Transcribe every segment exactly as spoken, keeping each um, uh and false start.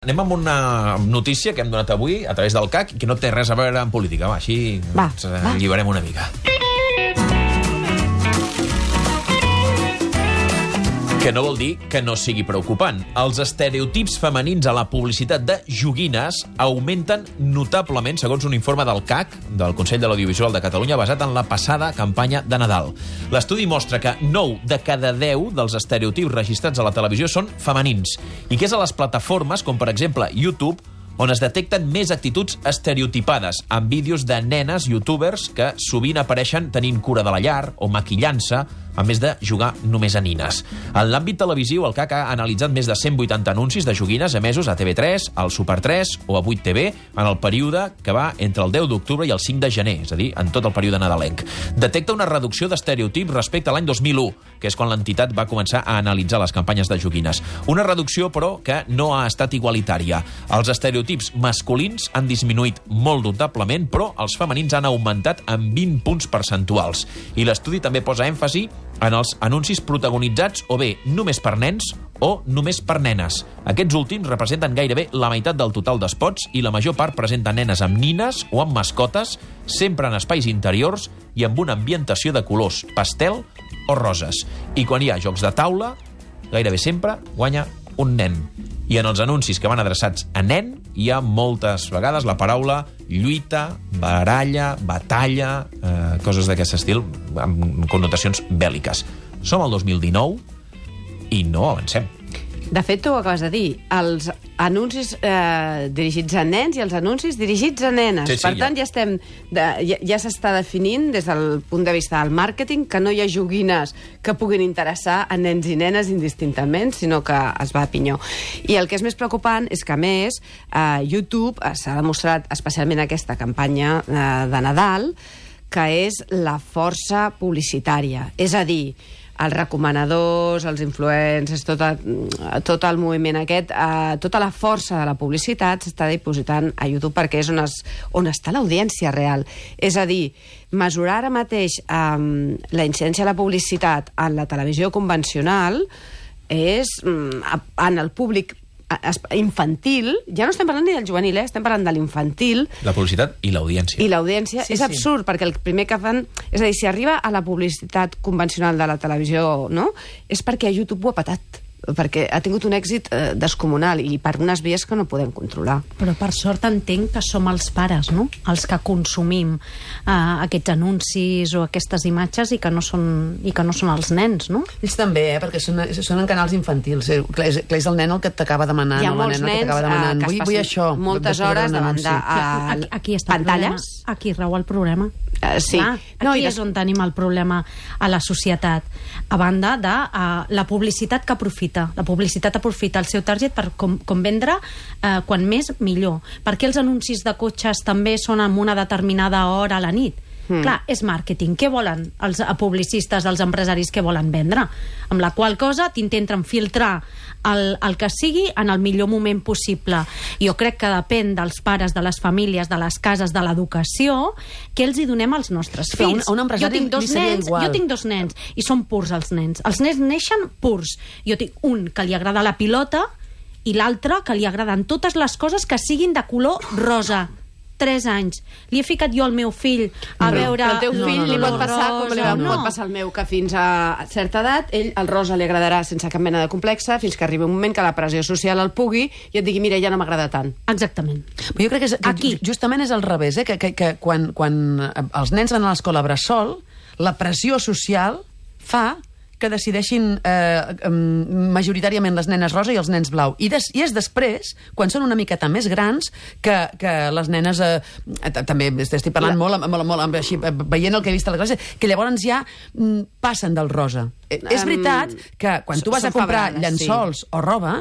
Anem amb una notícia que hem donat avui a través del C A C i que no té res a veure amb política. Va, així va, ens va. alliberem una mica. Que no vol dir que no sigui preocupant. Els estereotips femenins a la publicitat de joguines augmenten notablement, segons un informe del C A C, del Consell de l'Audiovisual de Catalunya, basat en la passada campanya de Nadal. L'estudi mostra que nou de cada deu dels estereotips registrats a la televisió són femenins, i que és a les plataformes, com per exemple YouTube, on es detecten més actituds estereotipades, amb vídeos de nenes youtubers que sovint apareixen tenint cura de la llar o maquillant-se, a més de jugar només a nines. En l'àmbit televisiu, el C A C ha analitzat més de cent vuitanta anuncis de joguines emesos a T V tres, al Super tres o a vuit T V en el període que va entre el deu d'octubre i el cinc de gener, és a dir, en tot el període nadalenc. Detecta una reducció d'estereotips respecte a l'any dos mil u, que és quan l'entitat va començar a analitzar les campanyes de joguines. Una reducció, però, que no ha estat igualitària. Els estereotips masculins han disminuït molt notablement, però els femenins han augmentat en vint punts percentuals. I l'estudi també posa èmfasi en els anuncis protagonitzats o bé només per nens o només per nenes. Aquests últims representen gairebé la meitat del total d'espots i la major part presenten nenes amb nines o amb mascotes, sempre en espais interiors i amb una ambientació de colors pastel o roses. I quan hi ha jocs de taula, gairebé sempre guanya un nen. I en els anuncis que van adreçats a nen hi ha moltes vegades la paraula lluita, baralla, batalla, eh, coses d'aquest estil, amb connotacions bèl·liques. Som al dos mil dinou i no avancem. De fet, tu ho acabes de dir, els anuncis eh, dirigits a nens i els anuncis dirigits a nenes. Sí, sí, per ja. tant, ja, estem de, ja, ja s'està definint des del punt de vista del màrqueting que no hi ha joguines que puguin interessar a nens i nenes indistintament, sinó que es va a pinyó. I el que és més preocupant és que, a més, eh, YouTube s'ha demostrat, especialment aquesta campanya eh, de Nadal, que és la força publicitària. És a dir, els recomanadors, els influencers, tot, a, tot el moviment aquest, eh, tota la força de la publicitat s'està dipositant a YouTube perquè és on, es, on està l'audiència real. És a dir, mesurar ara mateix eh, la incidència de la publicitat en la televisió convencional és mm, en el públic infantil, ja no estem parlant ni del juvenil, eh? Estem parlant de l'infantil. La publicitat i l'audiència. I l'audiència sí, és absurd, sí. Perquè el primer que fan... És a dir, si arriba a la publicitat convencional de la televisió, no? És perquè YouTube ho ha patat, perquè ha tingut un èxit eh, descomunal i per unes vies que no podem controlar. Però per sort entenc que som els pares, no?, els que consumim eh, aquests anuncis o aquestes imatges i que no són, i que no són els nens, no? Ells també, eh? Perquè són, són en canals infantils. Eh? Clar, és, clar, és el nen el que t'acaba demanant. Hi ha o molts la nena nens que demanant. eh, que vull, es vull això, moltes hores davant de uh, aquí, aquí està pantalles. El problema. Aquí rau el problema. Uh, sí. Clar, no, aquí i és on tenim el problema a la societat. A banda de uh, la publicitat que aprofita. La publicitat aprofita el seu target per com, com vendre uh, quan més millor. Per què els anuncis de cotxes també són en una determinada hora a la nit? Mm. Clar, és màrqueting. Què volen els publicistes, els empresaris que volen vendre? Amb la qual cosa t'intenten filtrar el, el que sigui en el millor moment possible. Jo crec que depèn dels pares, de les famílies, de les cases, de l'educació, que els hi donem als nostres Però fills. un, un jo tinc dos nens, igual. jo tinc dos nens i són purs els nens. Els nens neixen purs. Jo tinc un que li agrada la pilota i l'altre que li agraden totes les coses que siguin de color rosa. tres anys. Li he ficat jo al meu fill a no, veure... Però el teu fill no, no, li pot no, passar rosa, com li va, no. pot passar al meu, que fins a certa edat ell el rosa li agradarà sense cap mena de complexa, fins que arribi un moment que la pressió social el pugui i et digui, mira, ja no m'agrada tant. Exactament. Però jo crec que, és, que Aquí. justament és al revés, eh? que, que, que quan, quan els nens van a l'escola bressol, la pressió social fa que decideixin eh, majoritàriament les nenes rosa i els nens blau. I, des, i és després, quan són una miqueta més grans, que, que les nenes... Eh, també estic parlant la... molt, molt, molt, així, veient el que he vist a la classe, que llavors ja mm, passen del rosa. Um, és veritat que quan tu vas a comprar llençols sí. o roba...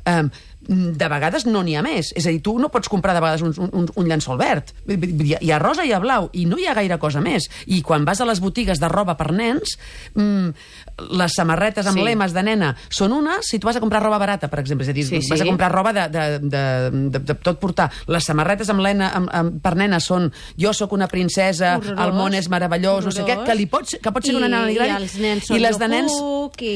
Eh, de vegades no n'hi ha més. És a dir, tu no pots comprar de vegades un, un, un llençol verd. Hi ha rosa i hi ha blau, i no hi ha gaire cosa més. I quan vas a les botigues de roba per nens, mmm, les samarretes amb sí. lemes de nena són unes, si tu vas a comprar roba barata, per exemple. És a dir, sí, vas sí. a comprar roba de, de, de, de, de tot portar. Les samarretes amb lena, amb, amb, per nena són jo sóc una princesa, horrorós, el món és meravellós, horrorós. No sé què, que, li pots, que pot ser I, una nena gran. I els nens són i les de nens... Puc, i...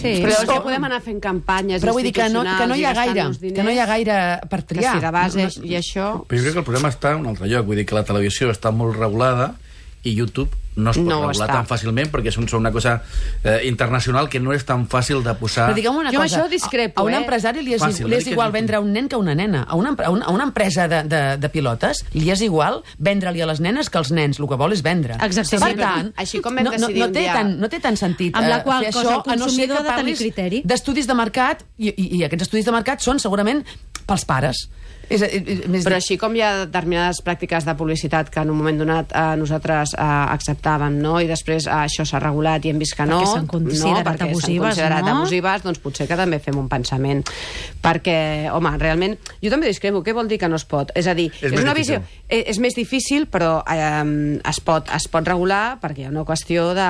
Sí. Però això podem anar fent campanyes però vull dir que no, que no hi ha gaire. uns diners, que no hi ha gaire per triar. Que si de base no, no, i això... Però jo crec que el problema està en un altre lloc. Vull dir que la televisió està molt regulada i YouTube no es pot No ho regular està. tan fàcilment perquè és una cosa eh, internacional que no és tan fàcil de posar... Però digue'm una Jo amb cosa, això discrepo, a, a un eh? empresari li és, Fàcil, li és una mica igual és vendre un nen que una nena. A una, a una, a una empresa de, de, de pilotes li és igual vendre-li a les nenes que als nens. El que vol és vendre. Exactament. Per Sí, però tant, així com vam no, no, decidir no, un té dia- tant, no té tant sentit Amb la eh, qual fer cosa això, el a no ser consumidor que ha de tenir parlis criteri. d'estudis de mercat i, i, i aquests estudis de mercat són segurament pels pares. És, és, és, Però així com hi ha determinades pràctiques de publicitat que en un moment donat eh, nosaltres eh, acceptàvem, no? I després eh, això s'ha regulat i hem vist que no, Perquè s'han considerat no? Perquè abusives, s'han considerat no? abusives, doncs potser que també fem un pensament. Perquè, home, realment, jo també discrepo. Què vol dir que no es pot? És a dir, És és, més una difícil. visió... És, és més difícil, però eh, es, pot, es pot regular perquè hi ha una qüestió de...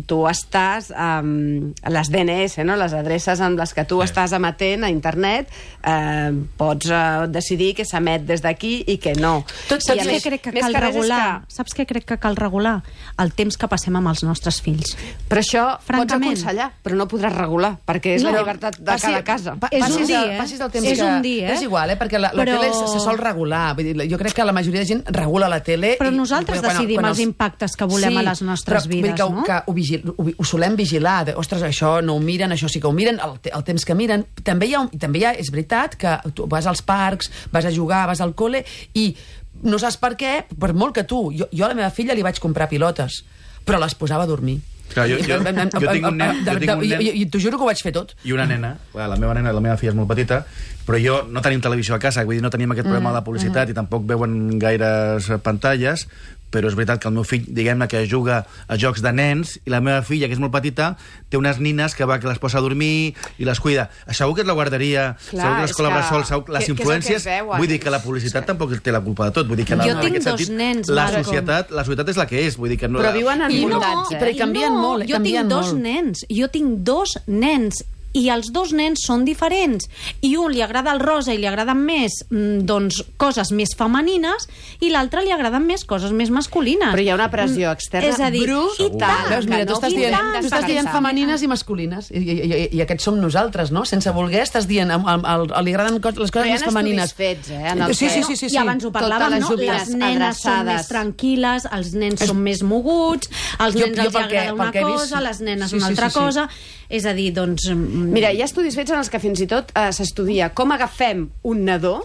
Tu estàs... Eh, les D N S, no? Les adreces amb les que tu Sí. estàs emetent a internet, eh, pots eh, decidir que s'emet des d'aquí i que no. Tot I Saps a què més- crec que més cal res és regular? que- Saps què crec que cal regular? El temps que passem amb els nostres fills. Però això Francament. pots aconsellar, però no podràs regular, perquè és No, la llibertat de passi- cada casa. pa- És passis un dia, el- eh? passis el temps És que... un dia, eh? És igual, eh? Perquè la, la Però- tele se, se sol regular. Vull dir, jo crec que la majoria de gent regula la tele... Però i- nosaltres quan- decidim quan els impactes que volem a les nostres però, vull dir vides, que, no? que ho, vigil, ho, ho solem vigilar. De, ostres, això no ho miren, això sí que ho miren, el, te- el temps que miren. També hi ha, un- també hi ha, és veritat que tu vas als parcs, vas a jugar, vas al col·le i no saps per què, per molt que tu... Jo, jo a la meva filla li vaig comprar pilotes, però les posava a dormir. Clar, jo- jo- jo tinc un nen- jo tinc un nen- I, i, i t'ho juro que ho vaig fer tot. I una nena, clar, la meva nena, la meva filla és molt petita, però jo no tenim televisió a casa, vull dir, no tenim aquest problema de la publicitat i tampoc veuen gaires eh, pantalles, però és veritat que el meu fill, diguem-ne, que juga a jocs de nens, i la meva filla, que és molt petita, té unes nines que va que les posa a dormir i les cuida. Segur que és la guarderia, Clar, segur que és l'escola que- bressol, segur que- les que és el que influències... es veuen. Vull dir que la publicitat tampoc té la culpa de tot. Vull dir que la, Jo en tinc aquest dos sentit, nens, la Malcolm. societat, la societat és la que és. Vull dir que no, Però viuen en I no, voluntats, eh? però canvien no, molt, jo canvien tinc dos molt. nens, jo tinc dos nens i els dos nens són diferents i un li agrada el rosa i li agraden més mm, doncs coses més femenines i l'altre li agraden més coses més masculines. Però hi ha una pressió externa És a dir, brutal. i tant, Veus, mira, que tu no estàs dient, podem tu estàs dient descansar. femenines i masculines, i, i, i, i aquests som nosaltres, no? Sense voler estàs dient, am- am- al- li agraden co- les Però coses hi ha més femenines. estudis fets, eh, en el sí, que- sí, sí, sí, sí. I abans ho parlàvem, Totes les no? joguines Les nenes són adreçades. més tranquil·les, els nens són més moguts, als Jo- nens jo els pel que- agrada una pel que he vist, cosa, les nenes sí, una sí, altra sí, sí. cosa. És a dir, doncs... mm, Mira, hi ha estudis fets en els que fins i tot eh, s'estudia com agafem un nadó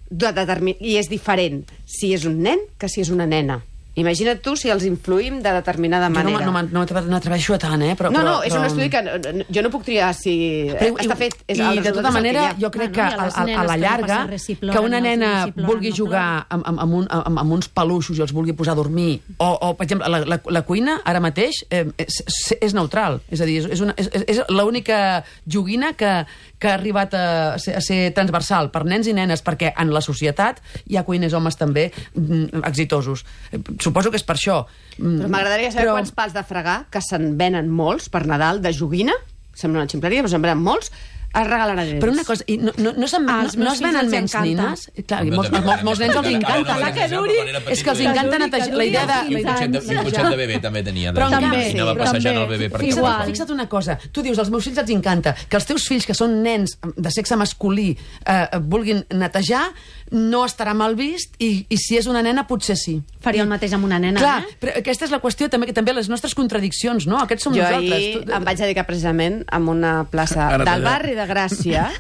de determin... i és diferent si és un nen que si és una nena. Imagina't tu si els influïm de determinada Jo no, manera. no, no, no m'atreveixo a tant, eh? Però, no, no, però, és un però- estudi que no- no- jo no puc triar si... Però, està fet. És, I el de resultat tota és el manera, que hi ha. jo crec Bueno, que i a a, les a, a nenes la que no llarga, passa res si ploren, que una els nena nens si ploren, vulgui no jugar amb, amb, amb, un, amb, amb uns peluixos i els vulgui posar a dormir, o, o per exemple, la, la, la cuina, ara mateix, eh, és, és neutral. És a dir, és, és, una, és, és l'única joguina que, que ha arribat a ser, a ser transversal per nens i nenes, perquè en la societat hi ha cuiners homes també mm, exitosos. Eh, Suposo que és per això. Mm, Però m'agradaria saber però- quants pals de fregar, que se'n venen molts per Nadal, de joguina, sembla una ximpleria, però se'n venen molts, es regalaran a ells. Però una cosa, i no, no, no, se'n- no, Als no meus es venen fills els menys encanta. nines? Clar, i molts, molts, molts nens els encanta. La que duri. És que els encanta netejar. La idea de... I un cotxet de, i un cotxet de bebè també tenia. Però de- també, i anava sí, passejant també. el bebè per Fixa't, Igual. fixa't una cosa. Tu dius, als meus fills els encanta que els teus fills, que són nens de sexe masculí, eh, vulguin netejar, no estarà mal vist, i, i si és una nena, potser sí. Faria el mateix amb una nena, Clar, eh? però aquesta és la qüestió, també, que també les nostres contradiccions, no? Aquests som Jo nosaltres. ahir Tu- em vaig dedicar precisament a una plaça Ara del t'allà. barri de Gràcia,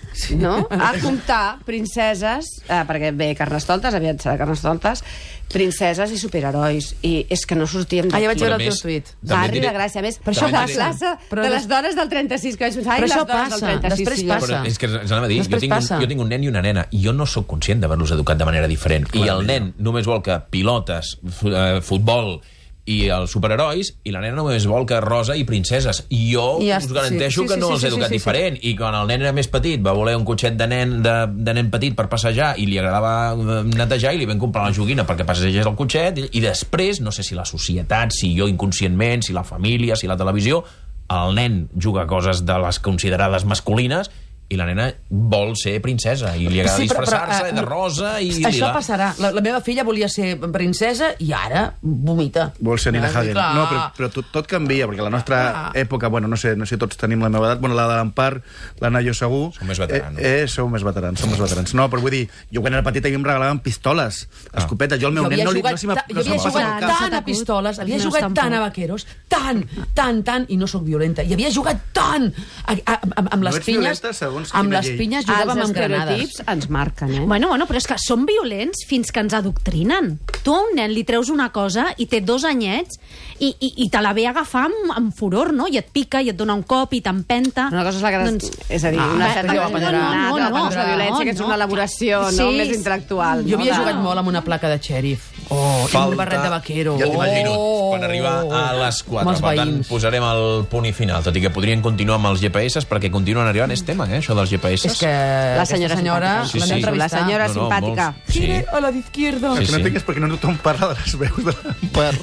no? a comptar princeses, eh, perquè ve Carnestoltes, aviat serà Carnestoltes, princeses i superherois. I és que no sortíem Ah, ja d'aquí. vaig veure el Però teu més, tuit. també Barri diré- de Gràcia. A més, Però això això la passa. plaça Però de des- les dones del trenta-sis, que vaig pensar, ai, Però les això dones passa, del trenta-sis. després sí, jo. passa. Però és que ens anava a dir, jo Després tinc, un, passa. jo tinc un nen i una nena i jo no sóc conscient d'haver-los educat de manera diferent. I el nen només vol que pilotes, fu- eh, futbol i els superherois, i la nena només vol que rosa i princeses. I jo I ja us està, garanteixo sí, sí, que sí, no sí, els he sí, educat sí, sí. diferent. I quan el nen era més petit va voler un cotxet de nen, de, de nen petit per passejar i li agradava eh, netejar i li vam comprar la joguina perquè passegés el cotxet, i, i després, no sé si la societat, si jo inconscientment, si la família, si la televisió, el nen juga a coses de les considerades masculines i la nena vol ser princesa i li agrada Sí, però- però, disfressar-se eh, de rosa i Això lila. passarà. La, la meva filla volia ser princesa i ara vomita. Vol ser Nina Ah, Hagen. clar. No, però, però tot, tot canvia, perquè la nostra Ah. època, bueno, no sé, no sé si tots tenim la meva edat, bueno, la de l'Empar, la Nayo segur... Som més veterans. Eh, eh, sou més veterans, som més veterans. No, però vull dir, jo quan era petit a mi em regalaven pistoles, Ah. escopetes. Jo al meu Jo nen havia no, li, jugat, no, si m'ha- ta- jo no havia se'm passa jugat pel no cap. s'ha tant a acut. pistoles, Els havia meus jugat tampoc. tant a vaqueros, tant, tant, tant, i no sóc violenta. I havia jugat tant a, a, a, amb No les ets pinyes... violenta segons Amb quina les llei. pinyes jugàvem Els amb granades. estereotips ens marquen, eh? Bueno, bueno, però és que són violents fins que ens adoctrinen. Tu a un nen li treus una cosa i té dos anyets i, i, i te la ve a agafar amb, amb furor, no? I et pica, i et dona un cop, i t'empenta. Una cosa és la que... Doncs- és a dir, Ah, una va, certa jo cosa aprendrà. innata, No, no, una cosa és la no, violència, que és no. una elaboració no? Sí. més intel·lectual. Jo havia no? jugat molt amb una placa de xèrif. Oh, i amb un barret de vaquero. Ja t'imagino, Oh. quan arriba a les quatre. Amb els Per tant, veïns. posarem el punt i final, tot i que podrien continuar amb els G P S, perquè continuen arribant, és tema, eh, això dels G P S. És que La senyora, aquesta senyora Sí, l'hem sí. d'entrevistar. La senyora No, no, simpàtica. molts. Sí. Gire a la d'izquierda. El Sí, que no sí. entenc és perquè no tothom parla de les veus de l'Empar.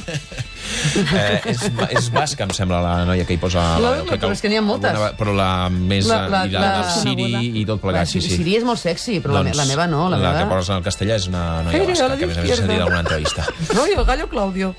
Eh, és, és basca, em sembla, la noia que hi posa... La- crec però és que n'hi ha moltes. alguna- Però la més... La- la- i la, la- del Siri i tot plegat, sí, sí. Siri és molt sexy, però la, me- la meva no. La, la meva... que posa en el castellà és una noia Gire a basca, la que a més a més he d'izquierda. sentit alguna entrevista. No, i el gallo Claudio.